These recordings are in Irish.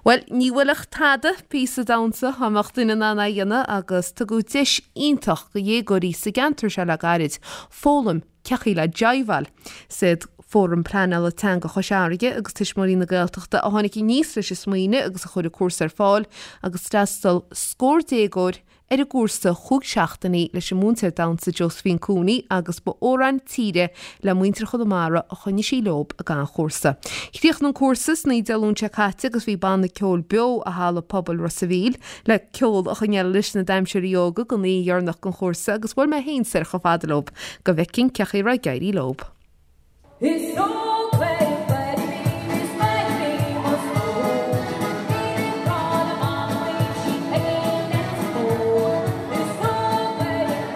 Bhuel, ní mhoillfeadh tada píosa damhsa dá mbeadh duine in ann é a dhéanamh agus tugadh deis iontach do dhéagóirí sa gceantar seo le gairid foghlaim cé chaoi le jiveáil. Is iad Fóram Pleanála Teanga Chois Fharraige agus Tuismitheoirí na Gaeltachta a tháinig aníos leis an smaoineamh agus a chuir an cúrsa ar fáil agus d'fhreastail scór déagóir ar an gcúrsa chúig seachtainí leis an múinteoir damhsa Josephine Cooney agus ba amhráin tíre le muintir Chonamara a choinnigh sí leob ag an chúrsa. Chríochnaigh an cúrsa san oíche Dé Luain seo caite agus bhí banna ceoil beo i Halla Pobail Ros a' Mhíl le ceol a choinneáil leis na damhsóirí óga don oíche dheireanach den chúrsa agus bhuail mé féin soir chomh fada leob go bhfeicfinn cé chaoi a raibh ag éirí leob. Is óg is maith mo stór, Míle grá le m'anam sí Peigín Neans Mhór. Is óg is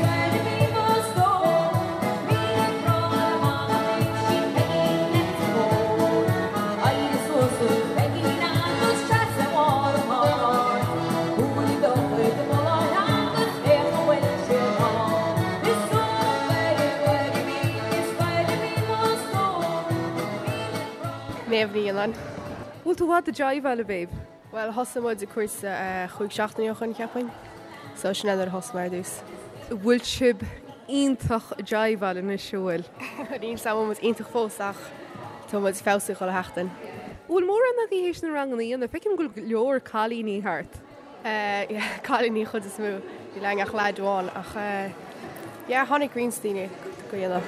maith mo stór, Míle grá le m'anam sí Peigín Neans Mhór. Éirigh suas a Pheigín agus seas ar bharr an chairr. Buail do chuid bolláin agus féach an bhfuil siad ann. Is óg is maith mo stór, Míle grá. Méabh Ní Fhionnáin. Bhfuil tú i bhfad ag jiveáil, a Mhéabh? Bhuel, thosaigh muid ag cúrsa chúig seachtainí ó shoin, cheapfainn. So sin é nuair a thosaigh mé ar dtús. Bhfuil sibh iontach ag jiveáil anois, an bhfuil? Níl 's a'm an bhfuil muid iontach fós ach tá muid ag feabhsú chuile sheachtain. Bhfuil mórán agaibh théis na ranganna a dhéanamh? Feicim go bhfuil go leor cailíní thart. Yeah, cailíní chuid is mó. Níl againn ach leaid amháin ach yeah, tháinig roinnt daoine go dhéanamh.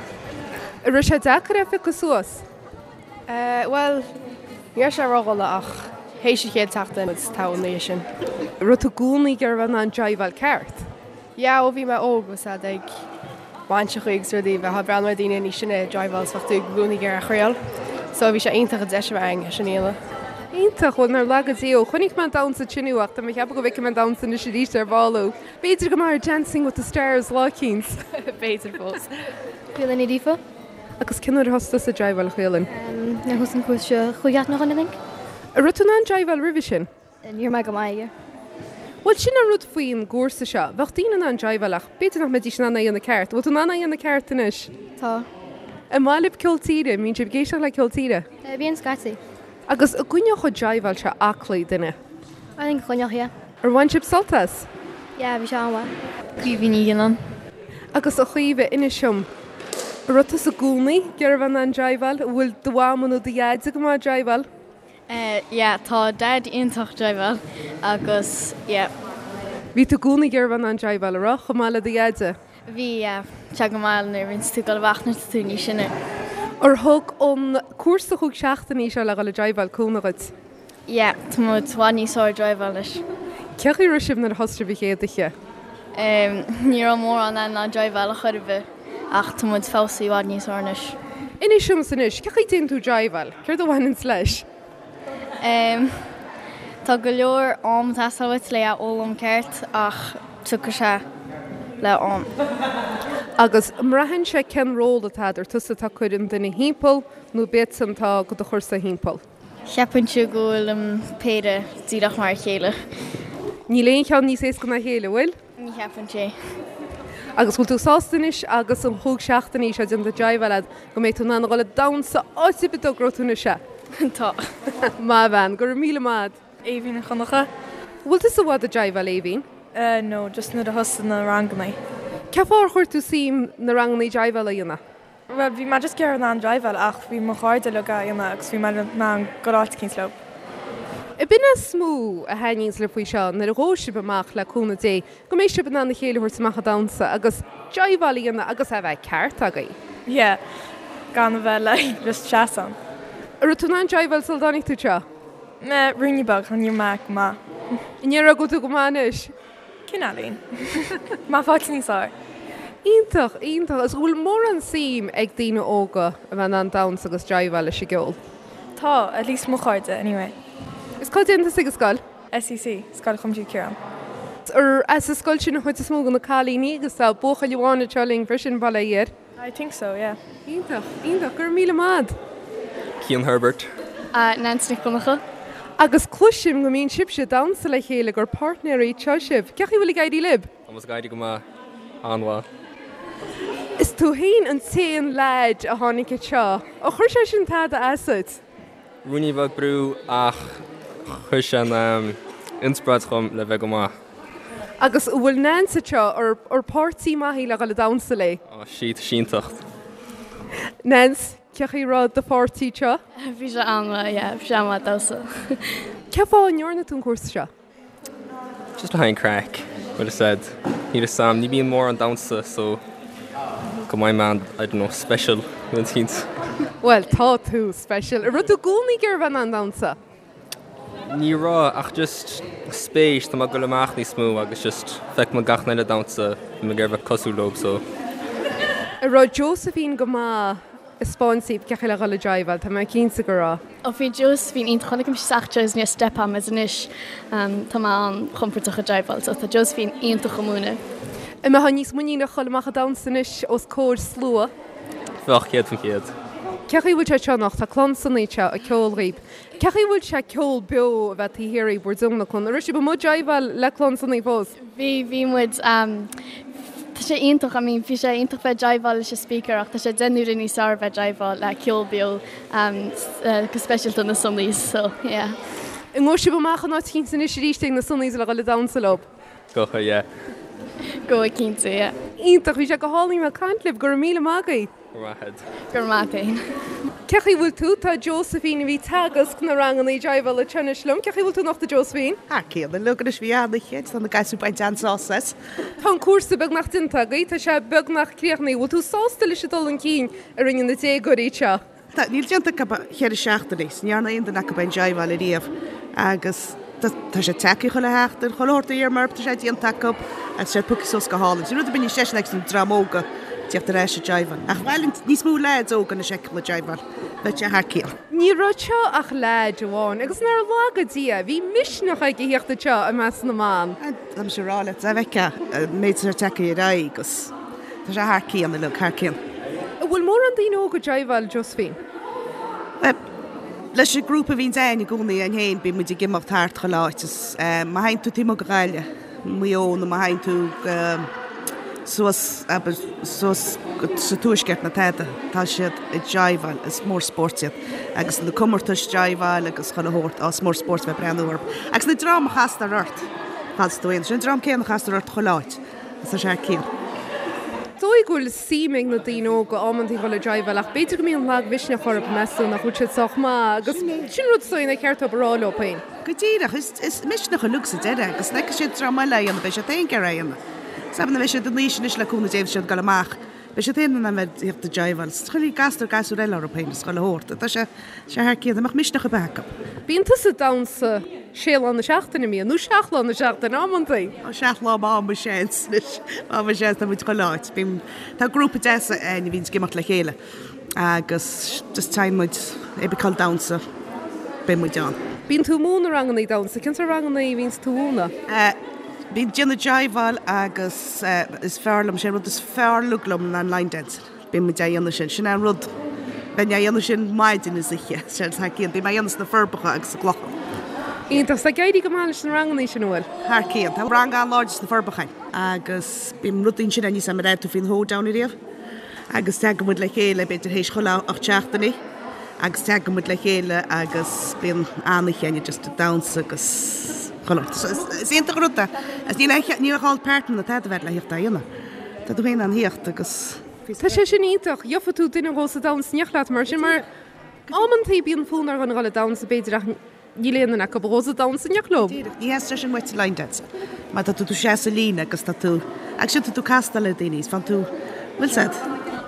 An raibh sé deacair é a phiocadh suas? Bhuel, ní raibh sé ródhona ach théis an chéad tseachtain muid togha ina dhiaidh sin. Raibh tú i gcónaí ag iarraidh a bheith in ann jiveáil ceart? Yeah, ó bhí mé óg bhí siad ag bainseachaí agus rudaí, bheifeá ag breathnú ar daoine níos sine ag jiveáil is bheadh tú i gcónaí ag iarraidh a thriail. So bhí sé iontach an deis a bheith againn é sin a dhéanamh. Iontach, bhuel nár laga Dia thú. Chonaic mé an damhsa ansin thú ach tá mé ag ceapadh go bhfeicfidh mé an damhsa anois arís ar ball thú. B'fhéidir go mbeifeá ar Dancing with the Stars lá eicínt. B'fhéidir fós. Caoilinn Ní Ghríofa. Agus cén uair a thosaigh tusa ag jiveáil, a Chaoilinn? Nuair a thosaigh an cúrsa seo chúig sheachtain ó shoin, I think. An raibh tú in ann jiveáil roimhe sin? Ní raibh mé go maith aige. Bhuel, sin an rud faoin gcúrsa seo. Bheadh daoine in ann jiveáil ach b'fhéidir nach mbeidís in ann é a dhéanamh ceart. Bhfuil tú in ann é a dhéanamh ceart anois? Tá. An maith libh ceol tíre? An mbíonn sibh ag éisteacht le ceol tíre? Bíonn scaití. Agus an gcoinneodh an jiveáil seo aclaí duine? I think choinneodh, yeah. Ar bhain sibh sult as? Yeah, bhí sé an-mhaith. Caoimhe Ní Ghionnáin. Agus a Chaoimhe, inis dom, an raibh tusa i gcónaí ag iarraidh a bheith in ann jiveáil? An bhfuil do mhama nó do dhaid go maith ag jiveáil? Yeah, tá Daid iontach ag jiveáil agus yeah. Bhí tú i gcónaí ag iarraidh a bheith in ann jiveáil, an raibh, chomh maith le do dhaide? Bhí, yeah. Tá go maith nuair a bhíonns tú ag dul amach nuair atá tú níos sine. Ar thug an cúrsa chúig seachtainí seo le dhul ag jiveáil cúnamh dhuit? Yeah, tá muid i bhfad níos fearr ag jiveáil anois. Cé chaoi a raibh sibh nuair a thosaigh sibh an chéad oíche? Ní raibh mórán againn in ann jiveáil a chor ar bith ach tá muid feabhsaithe i bhfad níos fearr anois. Inis domsa anois, cé chaoi a déanann tú jiveáil? Céard a bhaineanns leis? Tá go leor am ag teastáil uait le é a fhoghlaim ceart ach tiocfaidh sé le am. Agus an mbraitheann sé cén ról atá agat, ar tusa atá ag cur an duine thimpeall nó ab iadsan atá do do chursa thimpeall? Cheapfainnse go bhfuil an péire díreach mar a chéile. Níl aon cheann níos éasca ná a chéile, an bhfuil? Ní cheapfainnse é. Agus bhfuil tú sásta anois agus an chúig seachtainí seo déanta jiveáil agat go mbeidh tú in ann a dhul ag damhsa áit ar bith a dtogróidh tú anois é? Tá. Maith bhean, go raibh míle maith agat. Aoibhinn Ní Dhonncha. Bhfuil tusa i bhfad ag jiveáil, Aoibhinn? No, just nuair a thosaigh na ranganna. Cén fáth ar chuir tú suim na ranganna jiveála a dhéanamh? Bhuel, bhí mé just ag iarraidh in ann jiveáil ach bhí mo chairde uilig á dhéanamh agus bhí mé in ann dul áit eicínt leo. Ab in é is mó a thaitníonns libh faoi seo nuair a ghabhfaidh sibh amach le cúnamh Dé go mbeidh sibh in ann a chéile a thabhairt amach ag damhsa agus jiveáil a dhéanamh agus é a bheith ceart agaibh. Yeah, gan a bheith like just seasamh. An raibh tú in ann jiveáil sula dtáinig tú anseo? Meh, ruainne beag, ní raibh mé go maith. An ndéarfá go bhfuil tú go maith anois? Cineáilín. Má fáilte níos fearr. Iontach, iontach. Agus an bhfuil mórán suim ag daoine óga a bheith in ann damhsa agus jiveáil leis an gceol? Tá, at least mo chairde anyway. Is cá dtéann tusa ag an scoil? SCC, Scoil Chuimsitheach Chiaráin. Ar as an scoil sin an chuid is mó de na cailíní agus tá buachaill amháin anseo linn freisin, bail ó Dhia air. I think so, yeah. Iontach, iontach. Go raibh míle maith agat. Cian Herbert. Nancy Nic Dhonncha. Agus cloisim go mbíonn sibhse ag damhsa le chéile, gur páirtnéirí anseo sibh. Cén chaoi a bhfuil ag éirí libh? Tá muid ag éirí go maith. An-mhaith. Is tú féin an t-aon leaid a tháinig anseo. Ar chuir sé sin tada as duit? Ruainnín beag brú ach chuir sé an inspioráid dhom le bheith go maith. Agus an bhfuil Nance anseo, ar páirtí maith í le dhul ag damhsa léi? Á, sí, tá sí iontach. Nance, cé chaoi raibh do pháirtí anseo? Bhí sé an-mhaith, yeah, bhí sé an-mhaith damhsa. Cén fáth a ndearna tú an cúrsa seo? Just le haghaidh an craic, bhfuil fhios a'd. Níl fhios a'm, ní bhíonn mórán damhsa so go mbeidh mé I don't know, special nó rud eicínt. Bhuel, tá tú special. An raibh tú i gcónaí ag iarraidh bheith in ann damhsa? Ní raibh, ach just spéis, tá mé ag goil amach níos mó agus just feicim gach duine eile ag damhsa, bhí mé ag iarraidh bheith cosúil leo so. An raibh Josephine go maith ag 'speáint daoibh cé chaoi le dhul ag jiveáil, tá mé cinnte go raibh. Ó bhí Josephine iontach, chonaic mise isteach Josephine ar step am is anois tá mé an-chompordach ag jiveáil so tá Josephine iontach ag múineadh. An mbeifeá níos muiníne a dhul amach ag damhsa anois os comhair slua? Bheadh, 100%. Cé chaoi bhfuil sé seo anocht? Tá Clann Sonaí anseo ag ceol dhaoib. Cé chaoi bhfuil sé ceol beo a bheith taobh thiar dhaoib bhur dtionlacan? An raibh sibh amuigh ag jiveáil le Clann Sonaí fós? Bhí, bhí muid. Tá sé iontach, I mean bhí sé iontach bheith ag jiveáil leis an speaker ach tá sé 10 n-uaire níos fearr bheith ag jiveáil le ceol beo go speisialta na Sonnies so yeah. An ngabhfaidh sibh amach in áit eicínt anois arís ag na Sonnies le dhul ag damhsa leo? Gabhfaidh, yeah. Gabhfaidh cinnte, yeah. Iontach, bhí sé go hálainn bheith ag caint libh, go raibh míle maith agaibh. Go raibh maith agat. Go raibh maith agat féin. Cé chaoi bhfuil tú? Tá Josephine a bhí ag teagasc na ranganna jiveála anseo anois liom. Cé chaoi bhfuil tú anocht a Josephine? Thar cionn uilig anois bhí an-oíche, tá na gasúir bainte an-sásamh as. Tá an cúrsa beagnach déanta agaibh, tá sé beagnach críochnaithe. Bhfuil tú sásta leis an dul chun cinn a rinne na déagóirí anseo? Tá, níl déanta acu ach cheithre seachtainí, 's ní dhearna aon duine acu aon jiveáil ariamh agus tá tá sé tagtha chuile sheachtain, chuile shórt a d'iarr mé orthu tá sé déanta acu agus tá sé pioctha suas go hálainn. Sin rud ar bith níos deise ná an dream óga tíocht ar ais ag jiveáil. Ach ba mhaith linn níos mó leaids óga anois a fheiceáil ag jiveáil, bheadh sé thar cionn. Ní raibh anseo ach leaid amháin agus nár laga Dia, bhí misneach aige a thíocht anseo i measc na mban. Tá mise ag rá leat, dá bhfeicfeá an méid atá tagtha ar aghaidh agus tá sé thar cionn uilig, thar cionn. An bhfuil mórán daoine óga ag jiveáil, Josephine? Bhuel, leis an grúpa a bhíonns a'inn i gcónaí a'inn féin, bíonn muid ag imeacht thart chuile áit is má théann tú taobh amuigh go Gaillimh, Maigh Eo nó má théann tú go suas, abair, suas sa tuaisceart nó tada, tá siad ag jiveáil, is mór spóirt iad. Agus na comórtais jiveáil agus chuile shórt, á, is mór spóirt bheith ag breathnú orthu. Agus na dream a chastar ort, fad is tú aon, sin an dream céanna a chastar ort chuile áit, agus tá sé thar cionn. Dóigh go bhfuil suim ag na daoine óga amantaí dhul ag jiveáil ach b'fhéidir go mbíonn lagmhisneach orthu, meas tú, nach bhfuil siad sách maith agus sin rud is dóigh nár cheart dóibh a rá leo féin. Go díreach, is misneach uilig sa deireadh agus nuair a fheicfidh siad dream eile á dhéanamh beidh siad féin ag iarraidh é a dhéanamh. Is nuair a bheidh siad in aois anois le cúnamh Dé beidh siad ag dul amach, beidh siad féin in ann bheith ag tíocht ag jiveáil. Is chuile gasúr gasúr eile orthu féin is chuile shórt. Tá sé sé thar cionn, dá mbeadh misneach ar bith acu. Bíonn tusa ag damhsa sé lá na seachtaine, an mbíonn? Nó seacht lá na seachtaine, amantaí? Ó, seacht lá má mo sheans anois, má mo sheans, tá muid chuile áit. Bíonn, tá grúpa deas a'inn a bhíonns ag imeacht le chéile. Agus just téann muid ag cineál damhsa, beidh muid ann. Bíonn tú ag múineadh rangannaí damhsa, cén sórt rangannaí a bhíonns tú a mhúineadh? Bím ag déanamh jiveáil agus is fearr liom, sé an rud is fearr uilig liom ná an line dancing. Bíonn muid á dhéanamh sin, sin é an rud, bheinn á dhéanamh sin maidin is oíche, sé thar cionn, bím á dhéanamh sna Forbacha agus sa gClochán. Iontach, tá ag éirí go maith leis na rangannaí sin, an bhfuil? Thar cionn. Tá rang an-láidir sna Forbacha agus bíonn rudaí ansin níos an raibh tú faoin hoedown ariamh? Agus tagann muid le chéile b'fhéidir théis chuile 8 seachtainí agus tagann muid le chéile agus bíonn an-oíche againn just ag damhsa agus chuile shórt. So is iontach an rud é. Agus níl aon níl aon partner ná tada a bheith le thíocht á dhéanamh. Tá tú féin in ann thíocht agus. Tá sé sin iontach. Gheofa tú duine a ghabhfas ag damhsa in éineacht leat mar sin mar amantaí bíonn fonn ar dhuine a dhul ag damhsa b'fhéidir ach Níl aon duine acu a ghabhfas ag damhsa in éineacht leo. Díreach, ní theastaíonn sin uait sa line dance. Mar tá tú tú seasamh i líne agus tá tú, agus sin tá tú castáil le daoine is fann tú, bhfuil 's a'd.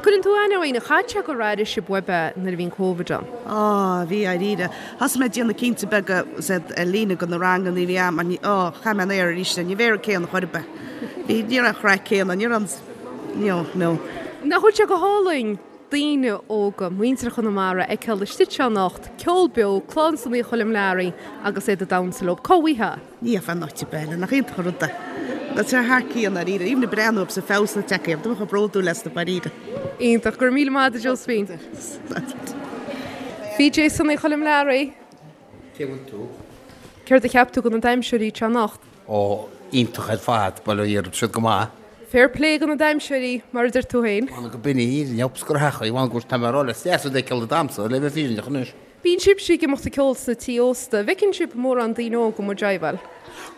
Cuireann tú aithne ar éinne, chaith sé gur airigh sibh uaibh é nuair a bhí an Covid ann? Á, bhí, dáiríre. Thosaigh mé ag déanamh cinnte beaga, 's a'd, ar líne go na ranganna a bhí a'm mar ní, á, chaith mé an aer arís é, ní bheidh an céanna chor ar bith. Bhí, ní raibh an chraic céanna, ní raibh an, no, no. Nach bhfuil sé go hálainn? daoine óga, muintir Chonamara a fheiceáil istigh anseo anocht, ceol beo, Clann Sonaí Choilm Learaí agus iad ag damhsa leo. Cá bhfaighfeá? Ní faighfeá in áit ar bith eile, nach iontach an rud é. Tá sé thar cionn dáiríre, even ag breathnú orthu sa feabhas atá tagtha orthu, tá mé chomh bródúil astu dáiríre. Iontach, go raibh míle maith agat a Josephine. PJ Sonaí Choilm Learaí. Cé bhfuil tú? Céard a cheap tú de na damhsóirí anseo anocht? Ó, iontach ar fad, bail ó Dhia orthu, siad go maith. Fair play do na damhsóirí, mar a deir tú féin. Bhuel, go binn í, ní fheabhas gur theachaí, bhuel, go tá mé a rá le deas a d'fheiceáil ag damhsa, le bheith fírinneach anois. Bíonn sibhse ag imeacht ag ceol sna tí ósta. An bhfeiceann sibh mórán daoine óga amuigh ag jiveáil?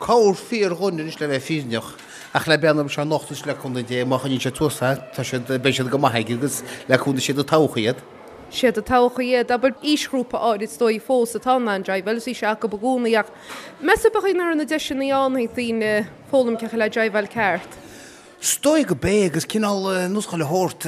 Corr fíor dhuine anois le bheith fírinneach, ach le breathnú orthu seo anocht anois le cúnamh Dé, má choinníonn siad suas é, tá siad, beidh siad go maith aige agus le cúnamh siad an todhchaí iad. Siad an todhchaí iad, abair, aoisghrúpa áirid is dóigh fós atá in ann jiveáil, is bhí sé acu i gcónaí ach meas tú ab é nach raibh na deiseanna ann ag daoine foghlaim cén chaoi le jiveáil ceart? Is dóigh go b'é agus cineál nós chuile shórt,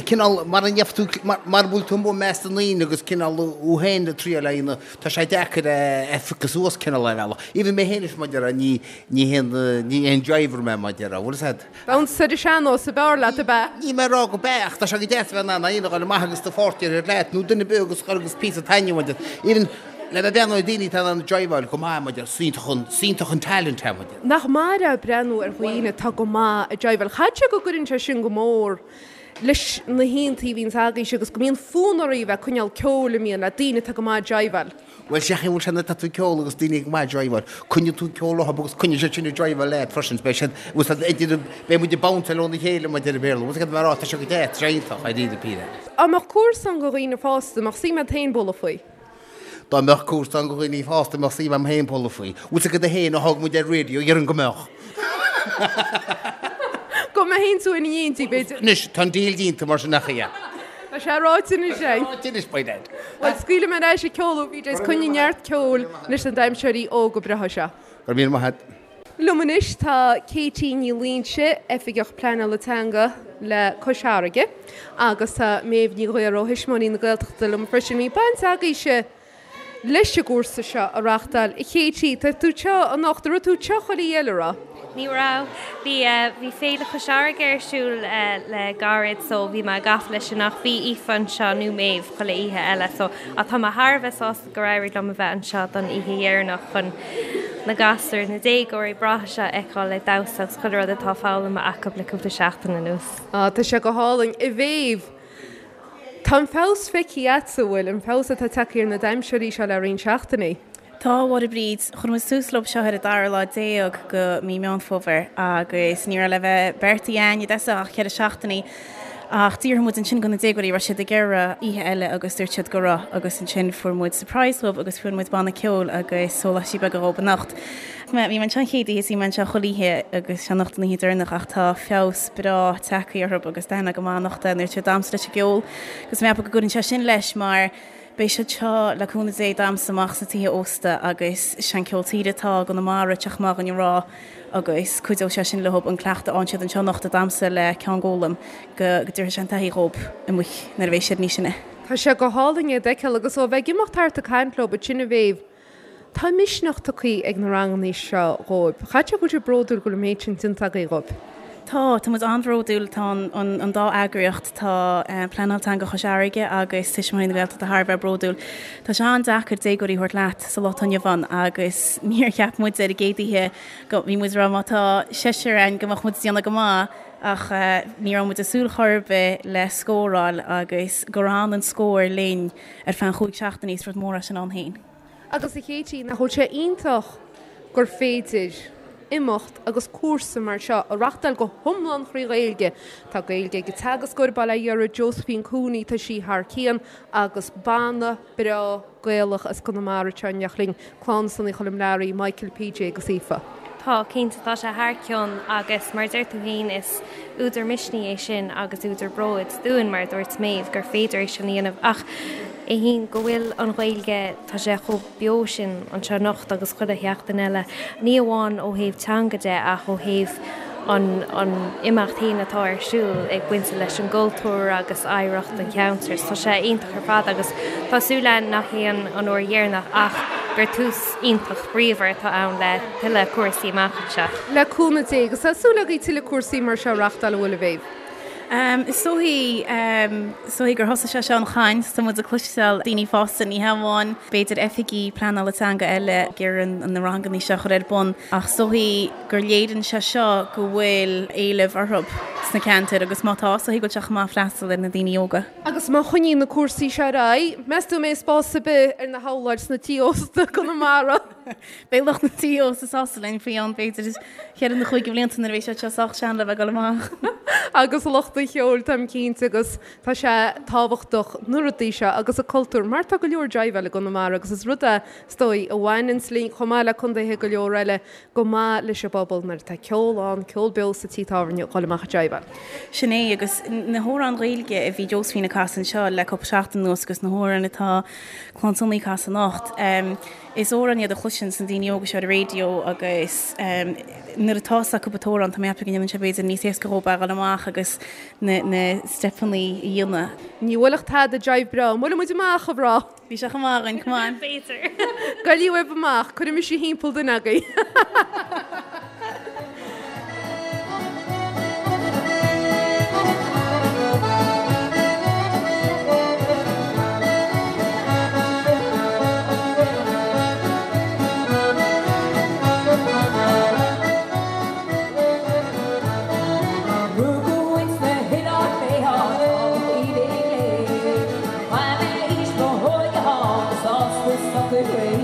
cineál mar a ndéarfá tú, mar a bhfuil tú amuigh i measc na ndaoine agus cineál thú féin ag triail a dhéanamh, tá sé deacair a phiocadh suas cineál ar bhealach. Even mé féin anois mar a déarfá, ní, ní haon, ní haon jiver mé mar a déarfá, bhfuil fhios a'd? Damhsa ar an sean-nós ab fhearr leat, ab ea? Níl mé ag rá go b'ea ach tá sé go deas a bheith in ann é a dhéanamh, a ghoil amach agus do pháirtí a thabhairt leat nó duine ar bith agus agus píosa taitneamh a bhaint as. Even le bheith breathnú ar daoine atá in ann jiveáil go maith mar a déarfá, is iontach an, is iontach an talent é mar a déarfá. Nach maith é breathnú ar dhaoine atá go maith ag jiveáil. Caithfidh sé go gcuireann sé sin go mór leis na haontaí a bhíonns agaibhse agus go mbíonn fonn oraibh a bheith ag coinneáil ceoil a mbíonn le daoine atá go maith ag jiveáil. Bhuel, sé chaoi bhfuil sé nuair atá tú ag ceol agus daoine go maith ag jiveáil. Coinníonn tú an ceol orthu agus coinníonn siad sin ag jiveáil leat freisin. Beidh siad, bhfuil siad idir, beidh muid ag bounceáil óna chéile mar a deir an Béarla. Bhfuil fhios agat mar tá sé go deas, tá sé iontach, I really feel it. Dá mbeadh cúrsa ann do dhaoine fásta, mbeadh suim agat féin bualadh faoi? Dá mbeadh cúrsa ann do dhaoine fásta mbeadh suim agam féin bualadh faoi. Bhfuil fhios agat féin ó thug muid ar radio, dhéarfainn go mbeadh. Go mbeadh féin tú ina éindí, b'fhéidir. Anois, tá an deal déanta mar sin ach yeah. Tá sé ráite anois, eh? Ráite anois, by dad. Bhuel, scaoilfidh mé ar ais ag ceol thú, PJ, is coinnigh neart ceoil leis na damhsóirí óga breátha seo. Go raibh míle maith agat. Liom anois tá Katie Ní Loingsigh, Oifigeach Pleanála Teanga le Cois Fharraige, agus tá Méabh Ní Ghaora ó Thuismitheoirí na Gaeltachta liom freisin. Bhí baint agaibhse leis an gcúrsa seo a reachtáil. A Katie, tá tú anseo anocht, an raibh tú anseo chuile oíche eile, raibh? Ní raibh. Bhí, bhí Féile Chois Fharraige ar siúl le gairid so bhí mé gafa leis sin ach bhí Aoife anseo nó Méabh chuile oíche eile so ach tá mé thar a bheith sásta gur éirigh liom a bheith anseo don oíche dheireanach chun na gasúir, na déagóirí breátha seo a fheiceáil ag damhsa agus chuile rud atá foghlamtha acu le cúpla seachtain anuas. Á, tá sé go hálainn. A Mhéabh, tá an feabhas feicthe agatsa, an bhfuil, an feabhas atá tagtha ar na damhsóirí seo le roinnt seachtainí? Tá, a Mháire Bríd. Chuir muid tús leo seo ar an dara lá déag go mí Meán Fómhair agus ní raibh le bheith beartaithe againn i dtosach ach cheithre seachtainí. Ach d'fhiafraigh muid ansin go na déagóirí raibh siad ag iarraidh oíche eile agus dúirt siad go raibh agus ansin fuair muid surprise dhóibh agus fuair muid banna ceoil agus sóláistí beaga dhóibh anocht. Bhí mé anseo an chéad oíche is bhí mé anseo chuile oíche agus sé anocht an oíche deireanach ach tá feabhas breá tagtha orthu agus d'aithin mé go maith anocht é nuair siad ag damhsa leis an gceol agus mé ag ceapadh go gcuireann sé sin leis mar Beidh siad seo, le cúnamh Dé, ag damhsa amach sna tithe ósta agus sé an ceol tíre atá i gConamara ag teacht amach againn a rá agus cuideoidh sé sin leo an cleachtadh a fhaigheann siad anseo anocht ag damhsa le ceann d'fhoghlaim go dtabharfaidh sé an taithí dhóibh amuigh nuair a bheidh siad níos sine. Tá sé go hálainn iad a fheiceáil agus ó bheith ag imeacht thart ag caint leo ansin a Mhéabh, Tá misneach tugtha ag na ranganna seo dhóibh. Caithfidh sé go bhfuil sibh bródúil go bhfuil an méid sin déanta agaibh dhóibh. Tá, tá muid an-bhródúil. Tá an dá eagraíocht, tá Pleanáil Teanga Chois Fharraige agus Tuismitheoirí na Gaeltachta thar a bheith bródúil. Tá sé an-deacair déagóirí a thabhairt leat sa lá atá inniu ann agus níor cheap muid ar an gcéad oíche go, bhí muid ag rá má tá seisear againn go mbeadh muid ag déanamh go maith ach ní raibh muid ag súil chor ar bith le scóráil agus gur fhan an scór linn ar feadh an chúig seachtainí, is rud mór é sin ann féin. Agus a Katie, nach bhfuil sé iontach gur féidir imeacht agus cúrsa mar seo a reachtáil go hiomlán thrí Ghaeilge. Tá Gaeilge ag an teagascóir bail ó Dhia uirthi, Josephine Cooney, tá sí thar cionn agus banna breá Gaelach as Conamara anseo in éineacht linn, Clann Sonaí Choilm Learaí, Michael, PJ agus Aoife. Tá, cinnte, tá sé thar cionn agus mar a deir tú féin is údar misnigh é sin agus údar bróid dúinn, mar a dúirt Méabh, gur féidir é sin a dhéanamh ach é féin go bhfuil an Ghaeilge, tá sé chomh beo sin anseo anocht agus chuile sheachtain eile, ní amháin ó thaobh teanga de ach ó thaobh an an imeacht féin atá ar siúl ag baint leis an gcultúr agus oidhreacht an cheantair. Tá sé iontach ar fad agus tá súil againn nach é an an uair dheireanach ach gur tús iontach bríomhar atá ann le tuilleadh cúrsaí amach anseo. Le cúnamh Dé, agus tá súil agaibh tuilleadh cúrsaí mar seo a reachtáil, an bhfuil, a Mhéabh? Is dóichí, is dóichí gur thosaigh sé seo an chaint, tá muid ag cloisteáil daoine fásta, ní hamháin b'fhéidir oifigigh pleanála teanga eile ag iarraidh na ranganna seo a chur ar bun ach is dóichí gur léiríonn sé seo go bhfuil éileamh orthu sna ceantair agus má tá, is dóichí go bhfuil sé chomh maith freastal ar na daoine óga. Agus má choinníonn na cúrsaí seo ar aghaidh, meas tú an mbeidh spás ar bith ar na habhláid sna tí ósta i gConamara? Beidh lucht na tí ósta sásta linn faoi cheann b'fhéidir cheithre nó chúig de bhlianta nuair a bheidh siad seo sách sean le bheith ag dul amach. Agus lucht an cheoil, táim cinnte, agus tá sé tábhachtach na rudaí seo agus an cultúr, mar tá go leor jiveáil i gConamara agus is rud é, is dóigh, a bhaineanns linn, chomh maith le contaetha go leor eile, go maith leis an bpobal nuair atá ceol ann, ceol beo sa tí tábhairne, dhul amach ag jiveáil. Sin é, agus na hamhráin Ghaeilge a bhí Josephine ag casadh anseo le cúpla seachtain anuas agus na hamhráin atá Clann Sonaí ag casadh anocht, is amhráin iad a chloiseann na daoine óga seo ar an raidió agus nuair atá fhios acu an t-amhrán, tá mé ag ceapadh go ndéanann sé b'fhéidir níos éasca dhóibh a dhul amach agus na steipeanna a dhéanamh. Ní bhuailfeadh tada jive breá. An mbuailfidh muid amach, a mhná? Bhí sé chomh maith againn, come on. B'fhéidir. Goillí uaibh amach, cuirfidh mise thimpeall duine agaibh. Rugadh ins na hoileáin mé áit atá taobh léi.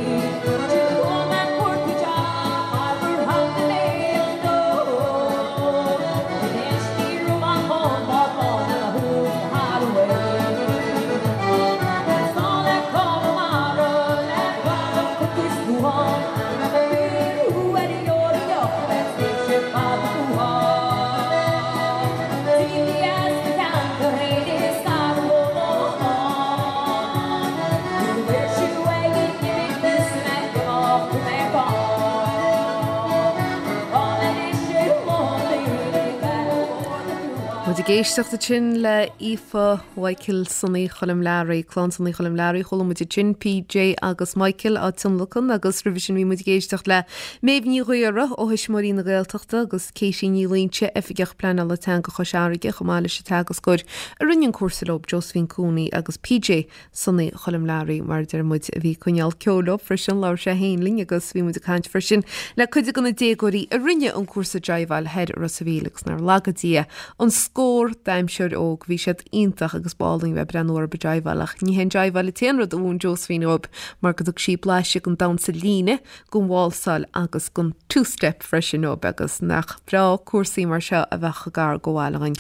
Muid ag éisteacht ansin le Aoife Mhichael Sonaí Choilm Learaí, Clann Sonaí Choilm Learaí, chuala muid ansin PJ agus Michael á tionlacan agus roimhe sin bhí muid ag éisteacht le Méabh Ní Ghaora ó Thuismitheoirí na Gaeltachta agus Katie Ní Loingsigh, Oifigeach Pleanála Teanga Chois Fharraige, chomh maith leis an teagascóir a rinne an cúrsa leo, Josephine Cooney agus PJ Sonaí Choilm Learaí, mar a deir muid, a bhí ag coinneáil ceoil leo freisin, labhair sé féin linn agus bhí muid ag caint freisin le cuid de na déagóirí a rinne an cúrsa jiveáil thoir i Ros a' Mhíl agus nár laga Dia an scór d'aimseoir óg, bhí siad iontach agus b'álainn bheith ag breathnú orthu ag jiveáil ach ní hé an jiveáil an t-aon rud a mhúin Josephine dóibh mar go dtug sí blaiseadh den damhsa líne den válsáil agus den two-step freisin dóibh agus nach breá cúrsaí mar seo a bheadh gar go bhaile dhúinn.